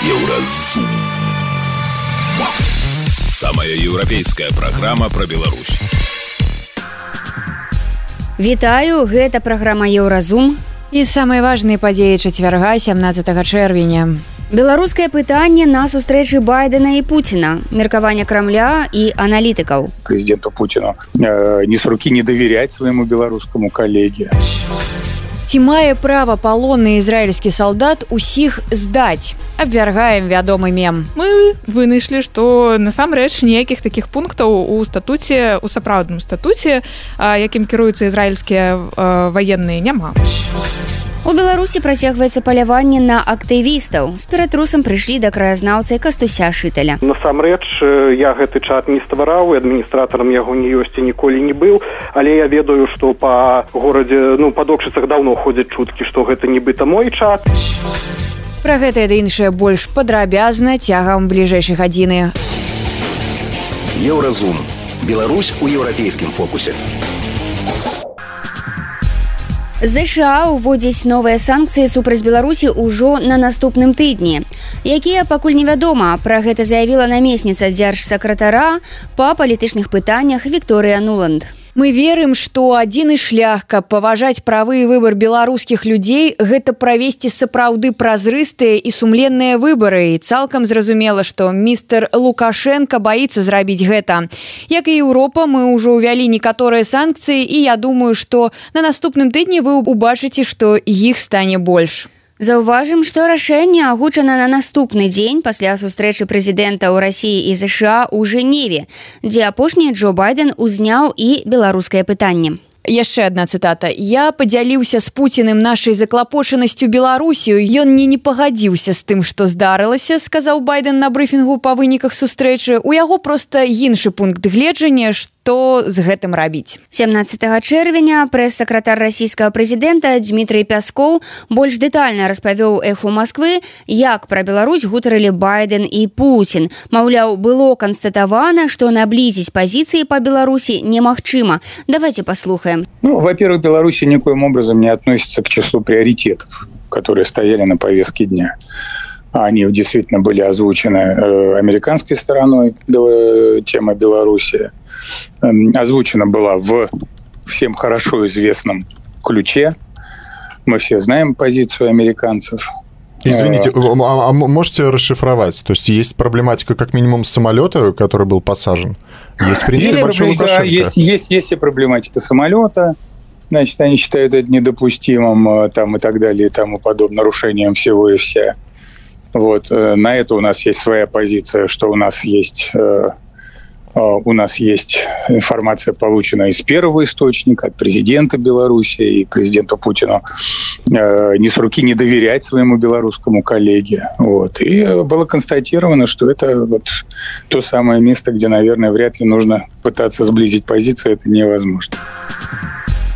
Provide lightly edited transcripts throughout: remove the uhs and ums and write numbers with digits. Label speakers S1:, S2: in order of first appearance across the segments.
S1: Еўразум. Самая еўрапейская праграма пра Беларусь.
S2: Вітаю, гэта праграма Еўразум.
S3: І самыя важныя падзеі чацвярга 17 чэрвеня.
S2: Беларускае пытанне на сустрэчы Байдена і Пуціна, меркаванне Крамля і аналітыкаў.
S4: Президенту Путину ни с руки не доверять своему белорусскому коллеге.
S3: Ці мае права палонны ізраільскі салдат усіх здаць? Абвяргаем вядомы мем.
S5: Мы вынайшлі, што насамрэч ніякіх такіх пунктаў у статуце, у сапраўдным статуце, якім кіруюцца ізраільскія ваенныя, няма.
S2: У Беларусі працягваецца паляванне на актывістаў. З ператрусам прыйшлі да краязнаўцы Кастуся Шыталя.
S6: Насамрэч, я гэты чат не ствараў, і адміністратарам яго не ёсць і ніколі не быў, але я ведаю, што па горадзе, па докшыцах даўно ходзяць чуткі, што гэта нібыта мой чат.
S3: Пра гэта і іншае больш падрабязна цягам бліжэйшай гадзіны.
S1: Еўразум. Беларусь у еўрапейскім фокусе.
S2: ЗША ўводзяць новыя санкцыі супраць Беларусі ўжо на наступным тыдні. Якія пакуль невядома, пра гэта заявіла намесніца дзяржсакратара па палітычных пытаннях Вікторыя Нуланд.
S3: Мы верым, што адзіны шлях, каб паважаць правы і выбар беларускіх людзей, гэта правесці сапраўды празрыстыя і сумленныя выбары. І цалкам зразумела, што містер Лукашенко баіцца зрабіць гэта. Як і Еўропа, мы ўжо ўвялі некаторыя санкцыі, і я думаю, што на наступным тыдні вы убачыце, што іх стане больш.
S2: Заўважым, што рашэнне агучана на наступны дзень пасля сустрэчы прэзідэнта ў Расіі і ЗША ў Жэневе, дзе апошні Джо Байден узняў і беларускае пытанне.
S3: Яшчэ адна цытата. Я падзяліўся з Пуціным нашай заклапочанасцю Беларусію. Ён не пагадзіўся з тым, што здарылася, сказаў Байден на брыфінгу па выніках сустрэчы. У яго проста іншы пункт гледжання, што з гэтым рабіць.
S2: 17 чэрвеня прэс-сакратар расійскага прэзідэнта Дмітрый Пяскоў больш дэтальна распавёў Эху Масквы, як пра Беларусь гутарылі Байден і Пуцін. Маўляў, было канстатавана, што наблізіць пазіцыі па Беларусі немагчыма. Давайте послухаем.
S4: Во-первых, Беларусь никоим образом не относится к числу приоритетов, которые стояли на повестке дня. Они действительно были озвучены американской стороной, тема Беларуси. Озвучена была в всем хорошо известном ключе. Мы все знаем позицию американцев.
S7: Извините, а можете расшифровать? То есть проблематика как минимум самолета, который был посажен? Есть, в принципе, большой Лукашенко.
S4: Есть и проблематика самолета. Значит, они считают это недопустимым там, и так далее, и тому подобное, нарушением всего и вся. Вот. На это у нас есть своя позиция, что у нас есть информация, полученная из первого источника, от президента Беларуси и президенту Путину, ни с руки не доверять своему белорусскому коллеге. Вот. И было констатировано, что это вот то самое место, где, наверное, вряд ли нужно пытаться сблизить позиции, это невозможно.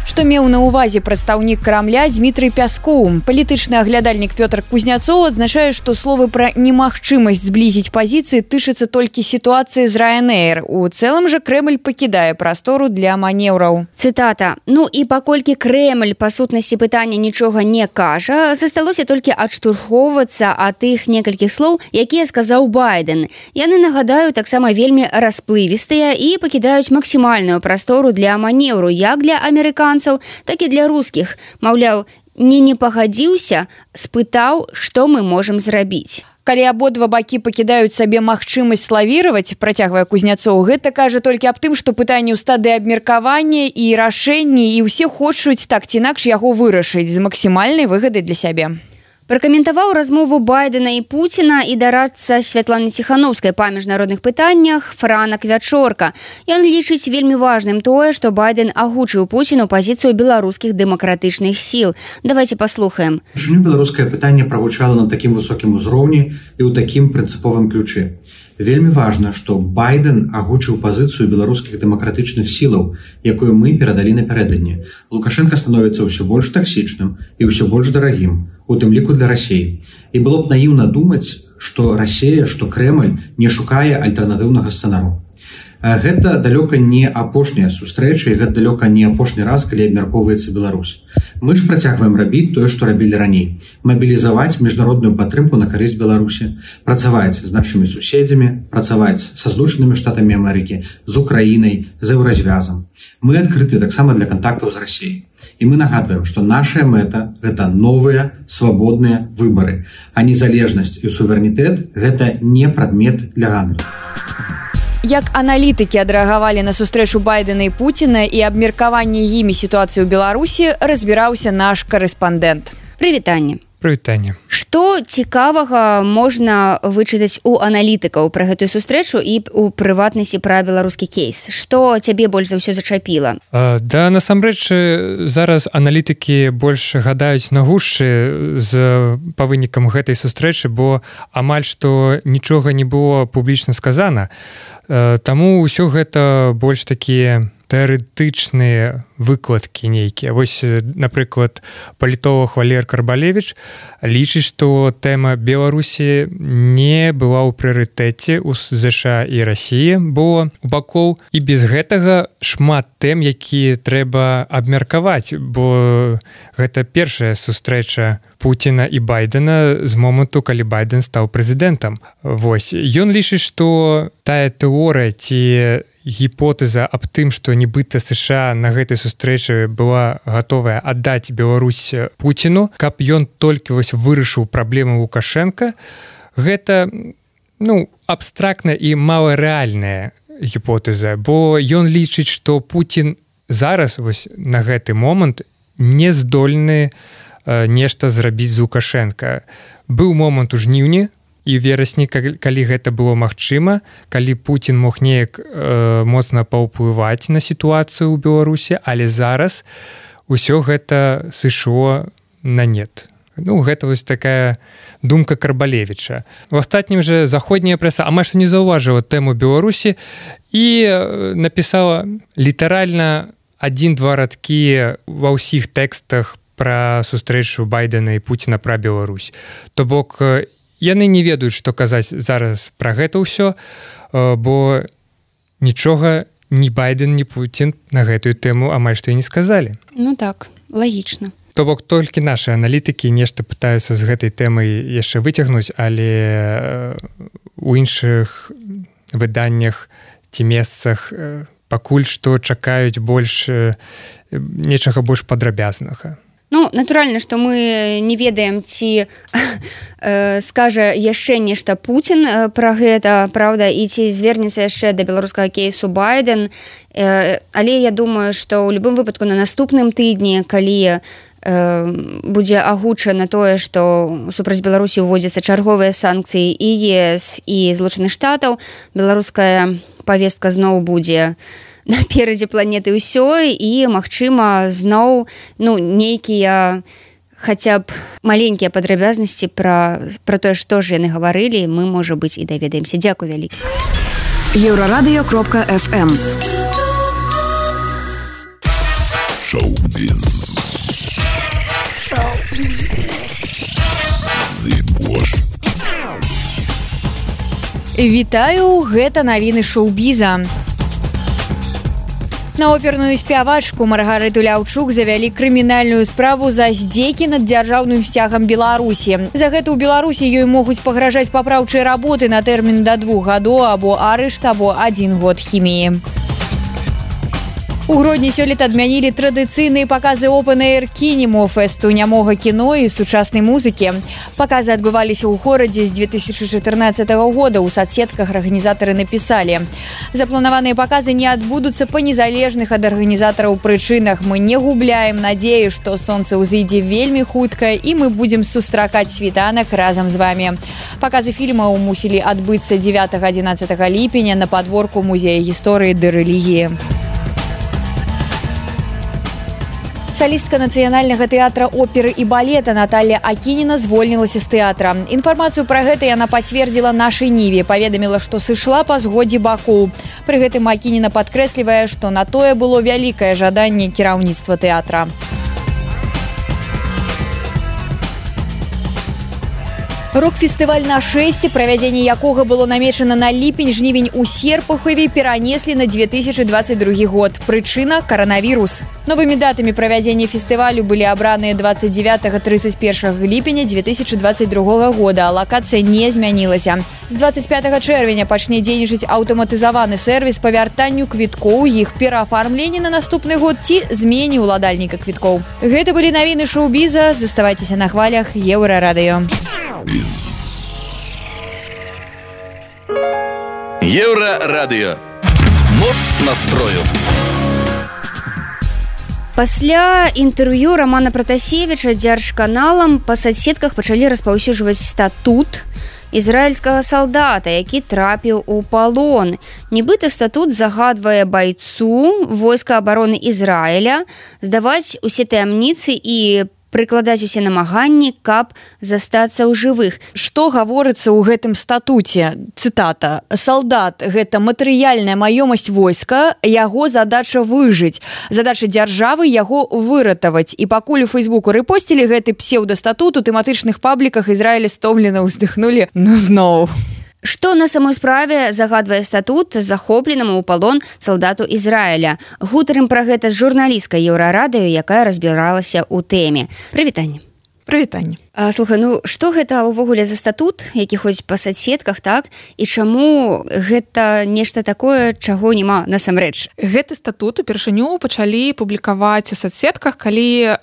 S3: Што меў на ўвазе прадстаўнік Крамля Дмітрый Пяскоў. Палітычны аглядальнік Пётр Кузняцоў адзначае, што словы пра немагчымасць зблізіць пазіцыі тычацца толькі сітуацыі з Ryanair. У цэлым жа Крэмль пакідае прастору для манеўраў.
S2: Цытата. І паколькі Крэмль па сутнасці пытання нічога не кажа, засталося толькі адштурхоўвацца ад тых некалькіх слоў, якія сказаў Байден. Яны, нагадаю, таксама вельмі расплывістыя і пакідаюць максімальную прастору для манеўру, як для амерыканцаў, так і для рускіх. Маўляў, не пагадзіўся, спытаў, што мы можам зрабіць.
S3: Калі абодва бакі пакідаюць сабе магчымасць лавіраваць, працягвае Кузняцоў, гэта кажа толькі аб тым, што пытанне ў стадыі абмеркавання і рашэнні, і ўсе хочуць так ці інакш яго вырашыць з максімальнай выгадай для сябе.
S2: Пракаментаваў размову Байдена і Пуціна і дарадца Святланы Ціхановскай па міжнародных пытаннях Франак Вячорка. Ён лічыць вельмі важным тое, што Байден агучыў Пуціну пазіцыю беларускіх дэмакратычных сіл. Давайте паслухаем.
S8: Чаму беларускае пытанне прагучала на такім высокім узроўні і ў такім прынцыповым ключы? Вельмі важна, што Байден агучыў пазіцыю беларускіх дэмакратычных сілаў, якую мы перадалі напярэдадні. Лукашенко становіцца ўсё больш таксічным і ўсё больш дарагім, у тым ліку для Расіі. І было б наіўна думаць, што Расія, што Крэмль не шукае альтэрнатыўнага сцэнару. Гэта далёка не апошняя сустрэча, і гэта далёка не апошні раз, калі абмяркоўваецца Беларусь. Мы ж працягваем рабіць тое, што рабілі раней. Мабілізаваць міжнародную падтрымку на карысць Беларусі, працаваць з нашымі суседзямі, працаваць са Злучанымі Штатамі Амерыкі, з Украінай, з еўразвязам. Мы адкрыты таксама для кантактаў з Расіяй. І мы нагадваем, што наша мэта – гэта новыя, свабодныя выбары, а незалежнасць і суверэнітэт – гэта не прадмет для гандлю.
S3: Як аналітыкі адрэагавалі на сустрэчу Байдена і Пуціна і абмеркаванне імі сітуацыі ў Беларусі, разбіраўся наш карэспандэнт.
S2: Прывітанне.
S9: Прывітанне.
S2: Што цікавага можна вычытаць у аналітыкаў пра гэтую сустрэчу і у прыватнасці пра беларускі кейс? Што цябе больш за ўсё зачапіла?
S9: Да, насамрэч, зараз аналітыкі больш гадаюць на гушчы па вынікам гэтай сустрэчы, бо амаль што нічога не было публічна сказана. Таму ўсё гэта больш такія тэарэтычныя выкладкі нейкія. Вось, напрыклад, палітолог Валер Карбалевіч лічыць, што тэма Беларусі не была ў прыярытэце ў ЗША і Расіі, бо у бакоў і без гэтага шмат тэм, якія трэба абмеркаваць, бо гэта першая сустрэча Пуціна і Байдена з моманту, калі Байден стаў прэзідэнтам. Вось, ён лічыць, што тая тэорыя ці гіпотэза аб тым, што нібыта США на гэтай сустрэчы была гатовая аддаць Беларусь Пуціну, каб ён толькі вось вырашыў праблему Лукашенка, гэта абстрактная і маларэальная гіпотэза, бо ён лічыць, што Пуцін зараз вось на гэты момант не здольны нешта зрабіць з Лукашенка. Быў момант у жніўні і верасні, калі гэта было магчыма, калі Пуцін мог неяк моцна паўплываць на сітуацыю ў Беларусі, але зараз усё гэта сышло на нет. Гэта вось такая думка Карбалевіча. У астатнім жа заходняя прэса амаль што не заўважыла тэму Беларусі і напісала літаральна 1-2 радкі ва ўсіх тэкстах пра сустрэчу Байдена і Пуціна пра Беларусь. То бок, яны не ведаюць, што казаць зараз пра гэта ўсё, бо нічога ні Байден, ні Пуцін на гэтую тэму амаль што і не сказалі.
S2: Ну так, лагічна.
S9: То бок толькі нашы аналітыкі нешта пытаюцца з гэтай тэмай яшчэ выцягнуць, але у іншых выданнях ці месцах пакуль што чакаюць нечага больш падрабязнага.
S2: Натуральна, што мы не ведаем, ці скажа яшчэ нешта Пуцін пра гэта, праўда, і ці звернецца яшчэ да беларускага кейсу Байден. Але я думаю, што ў любым выпадку на наступным тыдні, калі будзе агучана тое, што супраць Беларусі ўводзяцца чарговыя санкцыі і ЕС, і Злучаных Штатаў, беларуская павестка зноў будзе наперадзе планеты ўсёй, і, магчыма, зноў нейкія хаця б маленькія падрабязнасці пра тое, што ж яны гаварылі, мы, можа быць, і даведаемся. Дзякуй вялікі.
S10: Еўрарадыё.фм
S1: Шоу-біз.
S3: Вітаю, гэта навіны шоу-біза. На оперную спявачку Маргарыту Ляўчук завялі крымінальную справу за здзекі над дзяржаўным сцягам Беларусі. За гэта ў Беларусі ёй могуць пагражаць папраўчыя работы на тэрмін да 2 гадоў або арышт, або 1 год хіміі. У Гродні сёлета адмянілі традыцыйныя паказы Open-Air Кинемо фэсту нямога кіно і сучаснай музыкі. Паказы адбываліся ў горадзе з 2014 года. У соцсетках арганізатары напісалі: запланаваныя паказы не адбудуцца па незалежных ад арганізатараў прычынах. Мы не губляем надзею, што сонца ўзыдзе вельмі хутка і мы будзем сустракаць світанак разам з вамі. Паказы фільмаў мусілі адбыцца 9-11 ліпеня на падворку музея гісторыі ды рэлігіі. Салістка нацыянальнага тэатра оперы і балета Наталья Акініна звольнілася з тэатра. Інфармацыю пра гэта яна пацвердзіла нашай Ніве, паведаміла, што сышла па згодзе бакоў. Пры гэтым Акініна падкрэслівае, што на тое было вялікае жаданне кіраўніцтва тэатра. Рок-фестываль на шэсце, правядзенне якога было намечана на ліпень-жнівень у Серпухове, перанеслі на 2022 год. Прычына – коронавірус. Новымі датамі правядзення фестывалю былі абраныя 29-31 ліпеня 2022 года, а лакацыя не змянілася. З 25 чэрвеня пачне дзейнічаць аўтаматызаваны сервіс па вяртанню квіткоў, іх пераафармленне на наступны год ці змене ўладальніка квіткоў. Гэта былі навіны шоу-біза. Заставайцеся на хвалях Еўрарадыё.
S1: Еўрарадыё. Моц настрою.
S2: Пасля інтэрв'ю Рамана Пратасевіча дзяржканалам па соцсетках пачалі распаўсюджваць статут ізраільскага салдата, які трапіў у палон. Нібыта статут загадвае байцу войска абароны Ізраіля здаваць усе таямніцы і прыкладаць усе намаганні, каб застацца ў жывых.
S3: Што гаворыцца ў гэтым статуце? Цытата. «Салдат – гэта матэрыяльная маёмасць войска, яго задача выжыць. Задача дзяржавы – яго выратаваць». І пакуль у Фейсбуку рэпосцілі гэты псеўдастатут, у тэматычных пабліках Ізраіля стомлена ўздыхнулі зноў.
S2: Што на самой справе загадвае статут захопленаму ў палон салдату Ізраіля? Гутарым пра гэта з журналісткай Еўрарадыё, якая разбіралася ў тэме. Прывітанне.
S5: Прывітанне.
S2: Слухай, што гэта ўвогуле за статут, які ходзіць па соцсетках, так? І чаму гэта нешта такое, чаго няма насамрэч?
S5: Гэты статут упершыню пачалі публікаваць у соцсетках, калі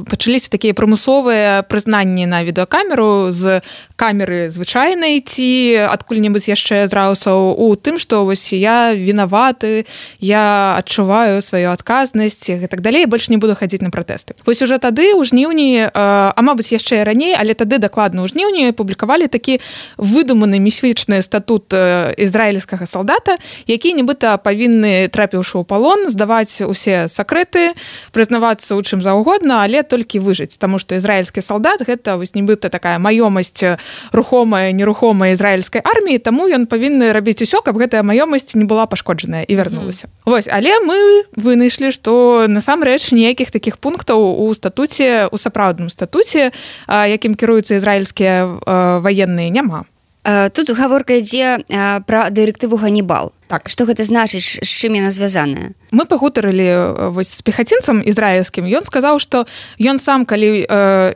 S5: пачаліся такія прымусовыя прызнанні на відэакамеру з камеры звычайнай ці адкуль-небудзь яшчэ з раусаў у тым, што вось я вінаваты, я адчуваю сваю адказнасць і так далей, больш не буду хадзіць на пратэсты. Вось уже тады ў жніўні, а мабыць яшчэ раней, але тады дакладна ў жніўні публікавалі такі выдуманы міфічны статут ізраільскага салдата, які нібыта павінны, трапіўшы ў палон, здаваць усе сакрэты, прызнавацца ў чым заўгодна, але толькі выжыць, таму што ізраільскі салдат гэта вось нібыта такая маёмасць рухомая, нерухомая ізраільскай арміі, таму ён павінны рабіць усё, каб гэтая маёмасць не была пашкоджаная і вярнулася. Вось, але мы вынайшлі, што насамрэч ніякіх такіх пунктаў у статуце, у сапраўдным статуце, якім кіруюцца ізраільскія ваенныя, няма.
S2: Тут гаворка ідзе пра дырэктыву Ганібал.
S5: Так.
S2: Што гэта значыць, з чым яна звязаная?
S5: Мы пагутарылі з пехацінцам ізраільскім. Ён сказаў, што ён сам, калі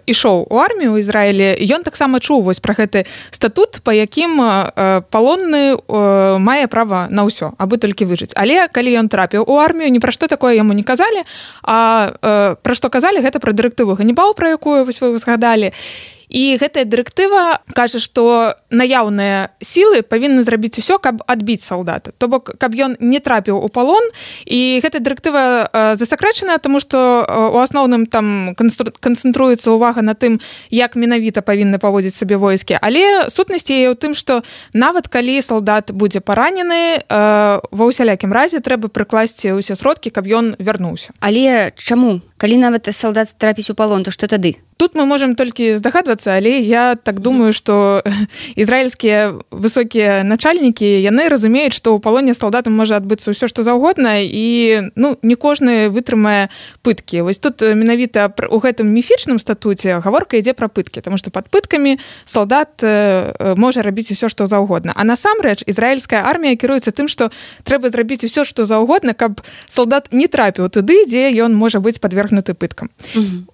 S5: ішоў у армію ў Ізраілі, ён таксама чуў вось пра гэты статут, па якім палонны мае права на ўсё, абы толькі выжыць. Але калі ён трапіў у армію, ні пра што такое яму не казалі, а пра што казалі, гэта пра дырэктыву Ганібал, пра якую вось вы згадалі. І гэтая дырэктыва кажа, што наяўныя сілы павінны зрабіць усё, каб адбіць салдата. То бок, каб ён не трапіў у палон. І гэтая дырэктыва засакрэчаная, таму што у асноўным там канцэнтруецца ўвага на тым, як менавіта павінны паводзіць сабе войскі. Але сутнасць яе ў тым, што нават калі салдат будзе паранены, ва ўсялякім разе трэба прыкласці ўсе сродкі, каб ён вярнуўся.
S2: Але чаму? Калі нават салдат трапіць у палон, то што тады?
S5: Тут мы можам толькі здагадвацца, але я так думаю, што ізраільскія высокія начальнікі, яны разумеюць, што ў палоне салдатам можа адбыцца ўсё, што заўгодна, і не кожны вытрымае пыткі. Вось тут менавіта у гэтым міфічным статуце гаворка ідзе пра пыткі, таму што пад пыткамі салдат можа рабіць усё, што заўгодна. А насамрэч ізраільская армія кіруецца тым, што трэба зрабіць усё, што заўгодна, каб салдат не трапіў туды, дзе ён можа быць падвергнуты пыткам.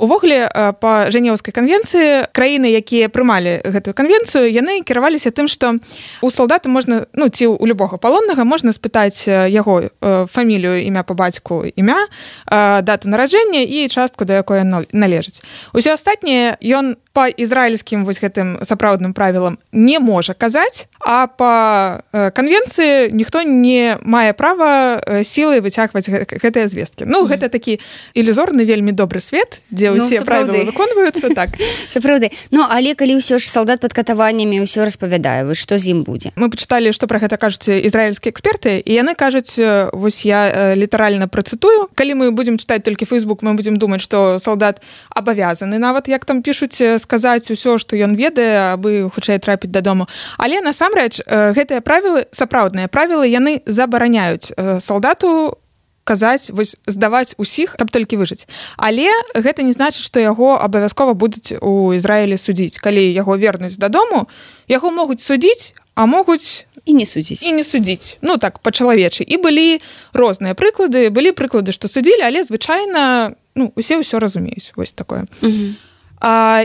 S5: Увогуле, па Жэнеўскай канвенцыі, краіны, якія прымалі гэтую канвенцыю, яны кіраваліся тым, што у салдата можна, ці ў любога палоннага можна спытаць яго фамілію, імя па бацьку, імя, дату нараджэння і частку, да якой належыць. Усё астатняе ён па ізраільскім вось гэтым сапраўдным правілам не можа казаць, а па канвенцыі ніхто не мае права сілай выцягваць гэтыя звесткі. Гэта такі ілюзорны, вельмі добры свет, дзе ўсе правілы выконваюцца, так.
S2: Сапраўды. Але калі ўсё ж салдат пад катаваннямі ўсё распавядае, што з ім будзе?
S5: Мы пачыталі, што пра гэта кажуць ізраільскія эксперты, і яны кажуць, вось я літаральна працытую, калі мы будзем чытаць толькі Facebook, мы будзем думаць, што салдат абавязаны нават, як там пішуць, сказаць усё, што ён ведае, абы хутчэй трапіць дадому. Але насамрэч гэтыя правілы, сапраўдныя правілы, яны забараняюць салдату казаць, вось здаваць усіх, каб толькі выжыць. Але гэта не значыць, што яго абавязкова будуць у Ізраілі судзіць. Калі яго вернуць дадому, яго могуць судзіць, а могуць
S2: і не судзіць.
S5: Ну так, па-чалавечы. І былі розныя прыклады. Былі прыклады, што судзілі, але звычайна усе ўсё разумеюць. Вось такое.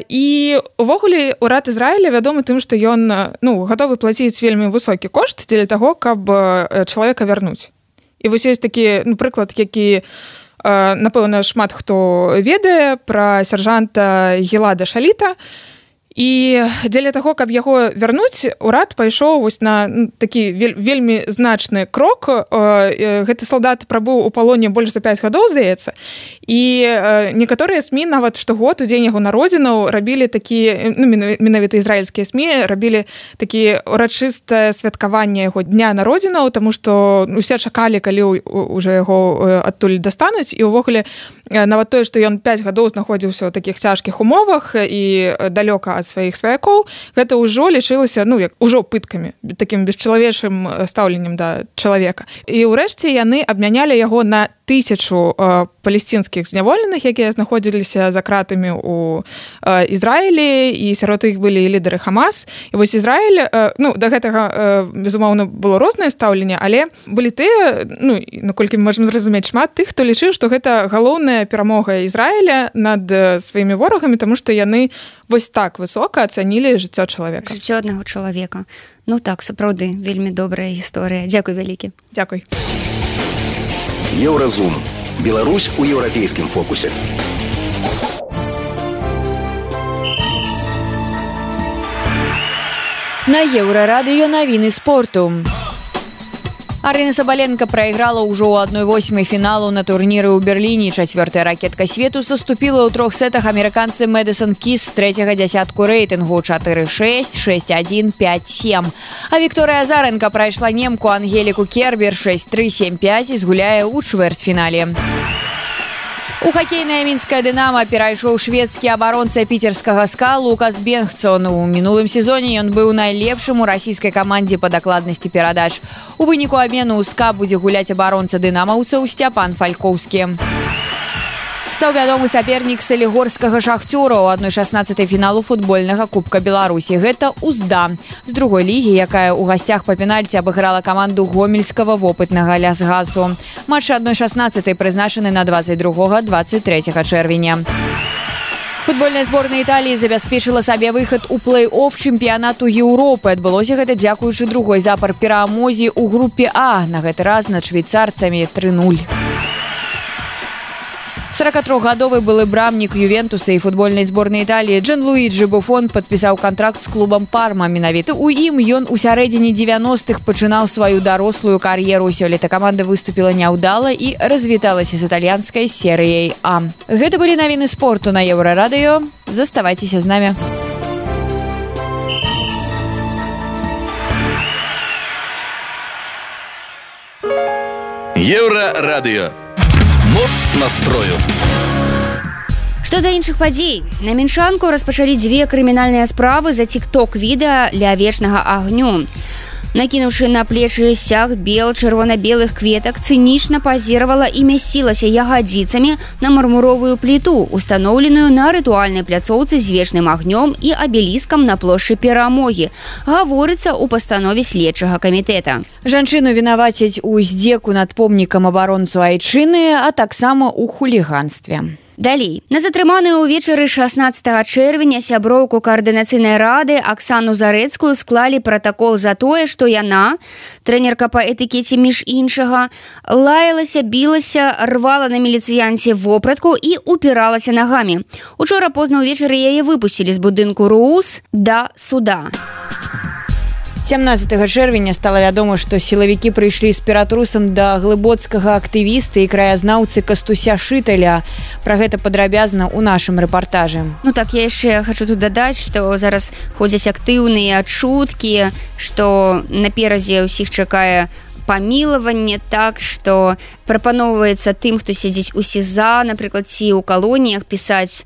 S5: І увогуле урад Ізраіля вядомы тым, што ён гатовы плаціць вельмі высокі кошт дзеля таго, каб чалавека вярнуць. І вось ёсць такі прыклад, які, напэўна, шмат хто ведае пра сяржанта Гілада Шаліта. І дзеля таго, каб яго вярнуць, урад пайшоў вось на такі вельмі значны крок. Гэты салдат прабыў у палоне больш за 5 гадоў, здаецца. І некаторыя СМІ нават штогод у дзень яго народзінаў рабілі такі, менавіта ізраільскія СМІ, рабілі такі урачыстае святкаванне яго дня народзінаў, таму што усе чакалі, калі ўжо яго адтуль дастануць. І ўвогуле нават тое, што ён 5 гадоў знаходзіўся ў такіх цяжкіх умовах і далёка ад сваіх сваякоў, гэта ўжо лічылася, як ужо пыткамі, такім бесчалавечым стаўленнем да чалавека. І ўрэшце яны абмянялі яго на 1000 палесцінскіх зняволеных, якія знаходзіліся за кратамі ў Ізраілі, і сярод іх былі лідары Хамас. І вось Ізраіль, да гэтага, безумоўна, было рознае стаўленне, але былі тыя, наколькі мы можам зразумець, шмат тых, хто лічыў, што гэта галоўная перамога Ізраіля над сваімі ворагамі, таму што яны вось так высока ацанілі жыццё чалавека.
S2: Жыццё аднаго чалавека. Так, сапраўды, вельмі добрая гісторыя. Дзякуй вялікі.
S5: Дзякуй.
S10: Еўразум. Беларусь у еўрапейскім фокусе.
S3: На Еўрарадыё навіны спорту. Арына Сабаленко прайграла ўжо ў 1/8 фіналу на турніры ў Берліне. 4-я ракетка свету саступіла ў 3 сетах амерыканцы Мэдысон Кіс з 3-го дзясятку рэйтынгу 4-6, 6-1, 5-7. А Вікторыя Азаренка прайшла немку Ангеліку Кербер 6-3, 7-5 і згуляе ў чвэртьфінале. У хакейнае мінскае «Дынамо» перайшоў шведскі абаронца піцерскага «СКА» Лукас Бенгцон. У мінулым сезоне ён быў найлепшым у расійскай камандзе па дакладнасці перадач. У выніку абмену ў «СКА» будзе гуляць абаронца дынамаўцаў Сцяпан Фалькоўскі. Стаў вядомы сапернік салігорскага «Шахцёра» ў 1/16 фіналу футбольнага Кубка Беларусі. Гэта «Узда» з другой лігі, якая ў гасцях па пенальці абыграла каманду гомельскага вопытнага «Лясгасу». Матч 1/16 прызначаны на 22-23 чэрвеня. Футбольная зборная Італіі забяспечыла сабе выхад у плэй-офф чэмпіянату Еўропы. Адбылося гэта дзякуючы другой запар перамозе ў групе А, на гэты раз над швейцарцамі 3-0. 43-гадовы былы брамнік Ювентуса і футбольнай зборнай Італіі Джанлуіджі Буфон падпісаў кантракт з клубам Парма. Менавіта ў ім ён у сярэдзіне 90-х пачынаў сваю дарослую кар'еру. Сёлета каманда выступіла няўдала і развіталася з італьянскай серыяй А. Гэта былі навіны спорту на Еўрарадыё. Заставайцеся з намі.
S1: Еўрарадыё. Моц настрою.
S2: Што да іншых падзей. На Меншанку распачалі 2 крымінальныя справы за тик-ток-відэа ля вечнага агню. Накінуўшы на плечы сяг чырвона-белых кветак, цынічна пазіравала і мясцілася ягадзіцамі на мармуровую пліту, устаноўленую на рытуальнай пляцоўцы з вечным агнём і абеліскам на плошчы Перамогі. Гаворыцца ў пастанове следчага камітэта.
S3: Жанчыну вінавацяць у здзеку над помнікам абаронцу айчыны, а таксама ў хуліганстве.
S2: Далей. На затрыманую ўвечары 16 чэрвеня сяброўку каардынацыйнай рады Аксану Зарэцкую склалі пратакол за тое, што яна, трэнерка па этыкеце між іншага, лаялася, білася, рвала на міліцыянце вопратку і упіралася нагамі. Учора позна ўвечары яе выпусцілі з будынку РУС да суда.
S3: 17 чэрвеня стала вядома, што сілавікі прыйшлі з ператрусам да глыбоцкага актывіста і краязнаўцы Кастуся Шыталя. Пра гэта падрабязна ў нашым рэпартажы.
S2: Так, я яшчэ хочу тут дадаць, што зараз ходзяць актыўныя чуткі, што наперадзе ўсіх чакае памілаванне, так што прапаноўваецца тым, хто сядзіць у СІЗА, напрыклад, ці ў калоніях пісаць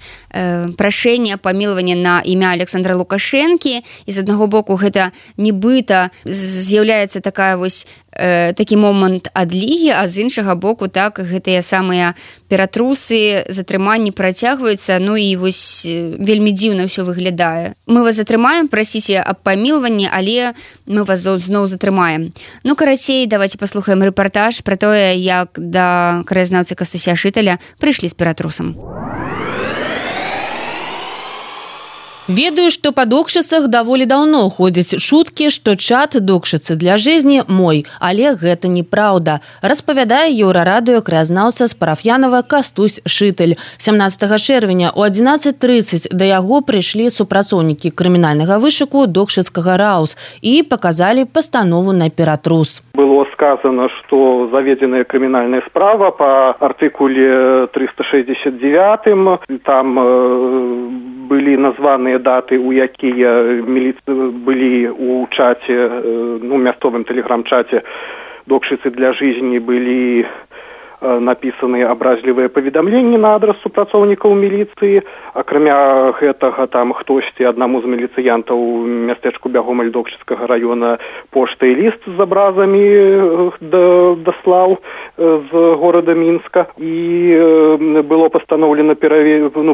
S2: прашэнне памілавання на імя Александра Лукашэнкі. І з аднаго боку гэта нібыта з'яўляецца такая вось такі момант адлігі, а з іншага боку так гэтыя самыя ператрусы, затрыманні працягваюцца, ну і вось вельмі дзіўна ўсё выглядае. Мы вас затрымаем, прасіце аб памілванні, але мы вас зноў затрымаем. Ну, карацей, давайте паслухаем рэпартаж пра тое, як да краязнаўцы Кастуся Шыталя прыйшлі з ператрусам.
S11: Ведаю, што па докшыцах даволі даўно ходзяць чуткі, што чат докшыцы для жизни мой, але гэта неправда. Распавядае Еўрарадыё краязнаўца з Параф'янава Кастусь Шыталь. 17 чэрвеня у 11:30 да яго прыйшлі супрацоўнікі крымінальнага вышуку докшыцкага РАУС і паказалі пастанову на ператрус.
S6: Было сказано, что заведенная криминальная справа по артикуле 369, там были названы даты, у якія были у чате, ну, мясцовым телеграм-чате докшыцы для жизни были написаны абразлівыя паведамленні на адрас супрацоўнікаў міліцыі. Акрамя гэтага, там хтосьці аднаму з міліцыянтаў мястэчку Бягомель Докшыцкага района поштай ліст з абразамі даслаў з горада Мінска. І было пастаноўлена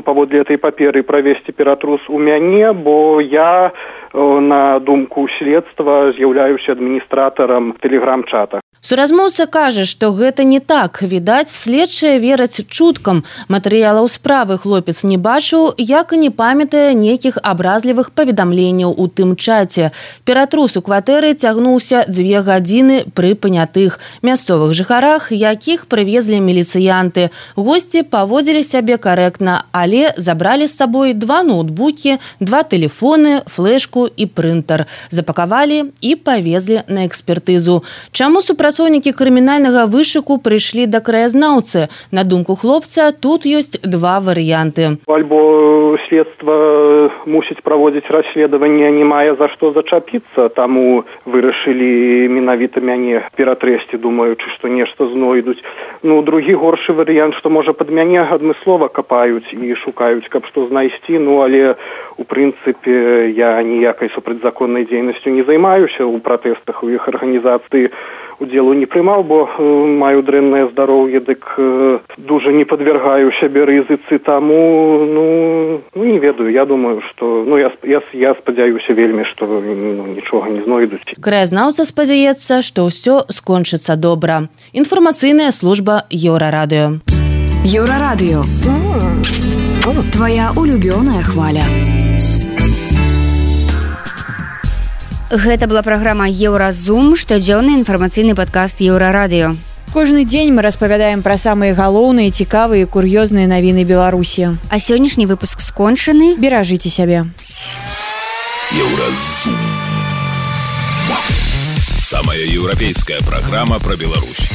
S6: паводле этой паперы правесці ператрус у мяне, бо я, на думку следства, з'яўляюся адміністратарам тэлеграм-чата.
S11: Суразмоўца кажа, што гэта не так. Відаць, следчыя вераць чуткам. Матэрыялаў справы хлопец не бачыў, як і не памятае нейкіх абразлівых паведамленняў у тым чаце. Ператрус у кватэры цягнуўся 2 гадзіны пры панятых мясцовых жыхарах, якіх прывезлі міліцыянты. Госці паводзілі сябе карэктна, але забралі з сабой 2 ноутбукі, 2 тэлефоны, флешку і прынтер. Запакавалі і павезлі на экспертызу. Чаму супрацоўнікі крымінальнага вышуку прыйшлі да краязнаўцы? На думку хлопца, тут ёсць 2 варыянты.
S6: Альбо следства мусіць праводзіць расследаванне, не мае за што зачапіцца, таму вырашылі менавіта мяне ператрэсці, думаючы, што нешта знойдуць. Ну, другі горшы варыянт, што можа пад мяне адмыслова капаюць і шукаюць, каб што знайсці, ну, але у прынцыпе я ніякай супрацьзаконнай дзейнасцю не займаюся у пратэстах, у іх арганізацыі удзелу не прымаў, бо маю дрэннае здароўе, дык дужа не падвяргаю сябе рызыцы, таму, ну, не ведаю, я думаю, што, ну, я спадзяюся вельмі, што нічога не знойдуць.
S11: Краязнаўца спадзяецца, што ўсё скончыцца добра. Інфармацыйная служба Еўрарадыё.
S12: Еўрарадыё. Твоя улюбёная хваля.
S2: Гэта была праграма «Еўразум», штодзённы інфармацыйны падкаст Еўрарадыё.
S3: Кожны дзень мы распавядаем пра самыя галоўныя, цікавыя і кур'ёзныя навіны Беларусі.
S2: А сённяшні выпуск скончаны.
S3: Беражыце сябе.
S1: Еўразум. Самая еўрапейская праграма пра Беларусь.